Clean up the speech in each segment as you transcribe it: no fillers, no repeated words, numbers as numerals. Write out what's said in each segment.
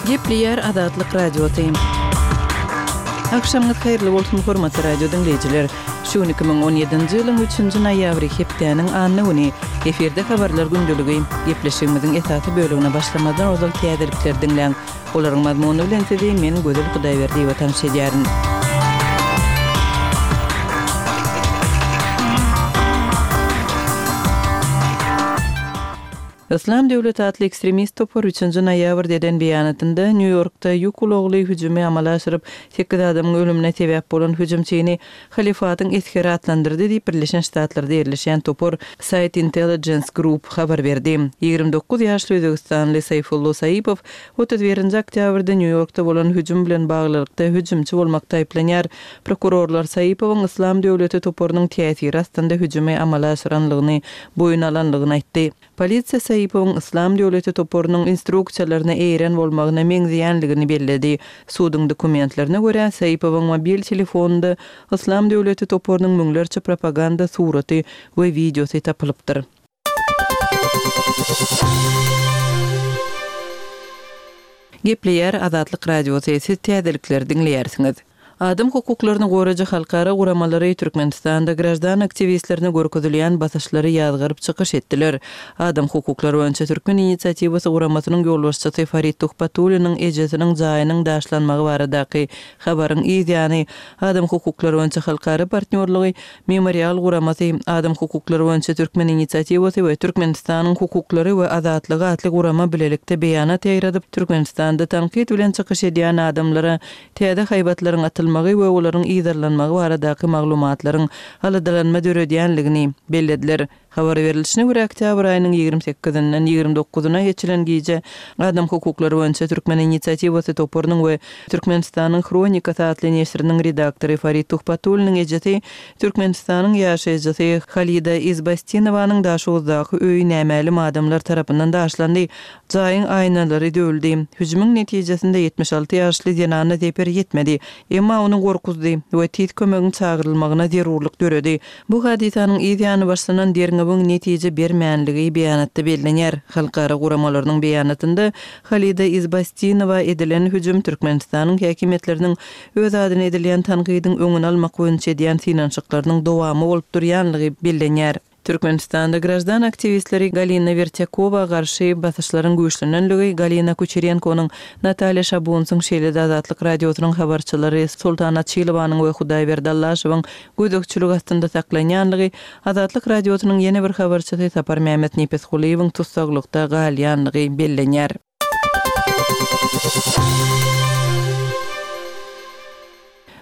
Gepleýär Azatlyk Radiosy. Agşamyňyz haýyrly bolsun, hormatly radio diňleýjiler! Şu gün 2017-nji ýylyň üçünji noýabry, hepdäniň anna güni. Efirde Habarlar gündeligi. Gepleşigimiziň esasy bölegine başlamazdan ozal täzelikleri diňläň. Olaryň mazmuny bilen sizi men Gözel Hudaýberdiýewa tanyş edýärin. Yslam döwleti atly ekstremist topar üçünji noýabrda eden beýanatynda Nýu-Ýorkda ýük ulagly hüjümi amala aşyryp, sekiz adamyň ölümine sebäp bolan hüjümçini Halyfatyň esgeri atlandyrdy diýip, Birleşen Ştatlarda ýerleşýän topar Site Intelligence Group habar berdi. 29 ýaşly özbegistanly Saýfullo Saipow 31-nji oktýabrda Nýu-Ýorkda bolan hüjüm bilen baglylykda hüjümçi bolmakda aýyplanýar. Prokurorlar Saipowyň Yslam döwleti toparynyň täsiri astynda hüjümi amala aşyranlygyny boýun alanlygyny aýtdy. Polisiýa Saipowyň Yslam döwleti toparynyň instruksiýalaryna eýeren bolmagyna meňzeýänligini belledi. Suduň dokumentlerine görä, Saipowyň mobil telefonynda Yslam döwleti toparynyň müňlerçe propaganda suraty we wideosy tapylypdyr. Gepleýär Azatlyk Radiosy, siz täzelikleri diňleýärsiňiz. Adam hukuklaryny goraýjy halkara guramalary Türkmenistanda graždan aktiwistlerine görkezilýän basyşlary ýazgaryp çykyş etdiler. Adam hukuklary boýunça Türkmen inisiatiwasy guramasynyň ýolbaşçysy Farid Tuhbatulliniň ejesiniň jaýynyň daşlanmagy baradaky habaryň yz ýany, Adam hukuklary boýunça halkara partnýorlygy Memorial guramasy, Adam hukuklary boýunça Türkmen inisiatiwasy we Türkmenistanyň hukuklary we azatlygy atly gurama bilelikde beýanat ýaýradyp, Türkmenistanda tankyt bilen çykyş edýän adamlara täze haýbatlaryň atylmagy we olaryň yzarlanmagy baradaky maglumatlaryň aladalanma döredýänligini bellediler. Habar berlişine görä, oktýabr aýynyň 28-inden 29-na geçilen gije Adam hukuklary boýunça Türkmen inisiatiwasy toparynyň we Türkmenistanyň Hronikasy atly neşiriniň redaktory Farid Tuhbatulliniň ejesi, Türkmenistanyň ýaşaýjysy Halida Izbastinowanyň Daşoguzdaky öýi nämälim adamlar tarapyndan daşlandy. Jaýyň aýnalary döwüldi. Hüjümiň netijesinde 76 ýaşly zenana zeper ýetmedi, emma ony gorkuzdy we tiz kömegiň çagyrylmagyna zerurlyk döredi. Bu hadysanyň yz ýany başlanan derňewiň netije bermänligi beýanatda bellenýär. Halkara guramalarynyň beýanatynda Halida Izbastinowa edilen hüjüm Türkmenistanyň häkimiýetleriniň öz adyna edilýän tankydyň öňüni almak boýunça edýän synanyşyklarynyň dowamy bolup durýanlygy bellenýär. Türkmenistanda graždan aktiwistleri Galina Wertýakowa garşy basyşlaryň güýçlenenligi, Galina Kuçerenkonyň, Natalýa Şabunsyň, şeýle-de Azatlyk Radiosynyň habarçylary Soltan Açylowanyň we Hudaýberdi Allaşowyň gözegçilik astynda saklanýanlygy, Azatlyk Radiosynyň ýene bir habarçysy Saparmämmet Nepesgulyýewiň tussaglykda galýanlygy bellenýär.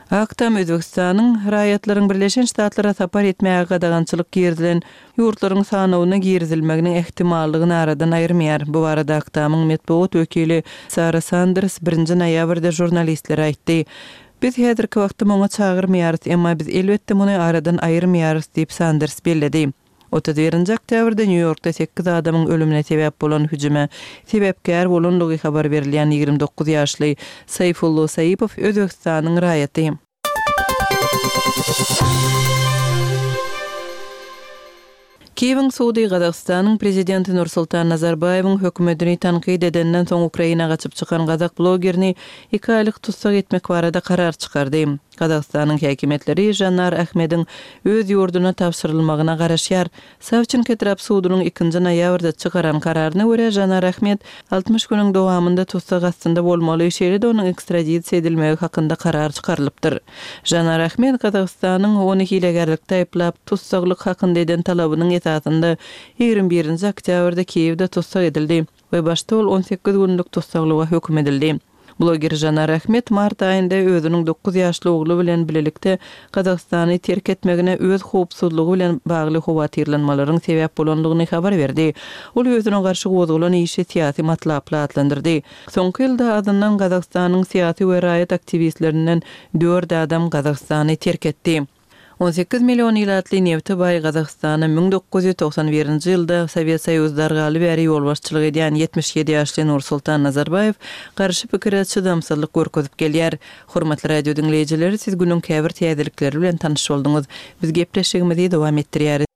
Ak Tam Özbegistanyň raýatlaryň Birleşen Ştatlara sapar etmäge gadagançylyk girizilen ýurtlaryň sanawyna girizilmeginiň ähtimallygyny aradan aýyrmaýar. Bu barada Ak Tamyň metbugat wekili Sara Sanders birinji noýabrda žurnalistlere aýtdy. Biz häzirki wagtda muňa çagyrmaýarys, emma biz elbetde muny aradan aýyrmaýarys diýip, Sanders belledi. 31-nji oktýabrda Nýu-Ýorkda sekiz adamyň ölümine sebäp bolan hüjüme sebäpkär bolandygy habar berilýän 29 ýaşly Saýfullo Saipow Özbegistanyň raýaty. Kiýewiň sudy Gazagystanyň prezidenti Nursultan Nazarbaýewiň hökümetini tankyt edenden soň Ukraina gaçyp çykan gazak blogerini iki aýlyk tussag etmek barada karar çykardy. Gazagystanyň häkimiýetleri Žanar Ahmediň öz ýurduna tabşyrylmagyna garaşýar. Sawçenko etrap sudunyň ikinji noýabrda çykaran kararyna görä, Žanar Ahmed 60 günüň dowamynda tussag astynda bolmaly, şeýle-de onuň ekstradisiýa edilmegi hakynda karar çykarylypdyr. Žanar Ahmed Gazagystanyň ony hilegärlikde aýyplap, tussaglyk hakynda eden talabynyň esasynda 21-nji oktýabrda Kiýewde tussag edildi we başda ol 18 günlük tussaglyga höküm edildi. Bloger Žanar Ahmed mart aýynda özüniň dokuz ýaşly ogly bilen bilelikde Gazagystany terk etmegine öz howpsuzlygy bilen bagly howatyrlanmalaryň sebäp bolandygyny habar berdi. Ol özüne garşy gozgalan işi syýasy matlaply atlandyrdy. Soňky ýylda azyndan Gazagystanyň syýasy we raýat aktiwistlerinden dört adam Gazagystany terk etdi. 18 million ilatly nebte baý Gazagystana 1991-nji ýylda Sowet Soýuzy dargaly bäri ýolbaşçylyk edýän 77 ýaşly Nursultan Nazarbaýew garşy pikire çydamsyzlyk görkezip gelýär. Hormatly radio diňleýjiler, siz günüň käbir täzelikleri bilen tanyş bolduňyz. Biz gepleşigimizi dowam etdirýäris.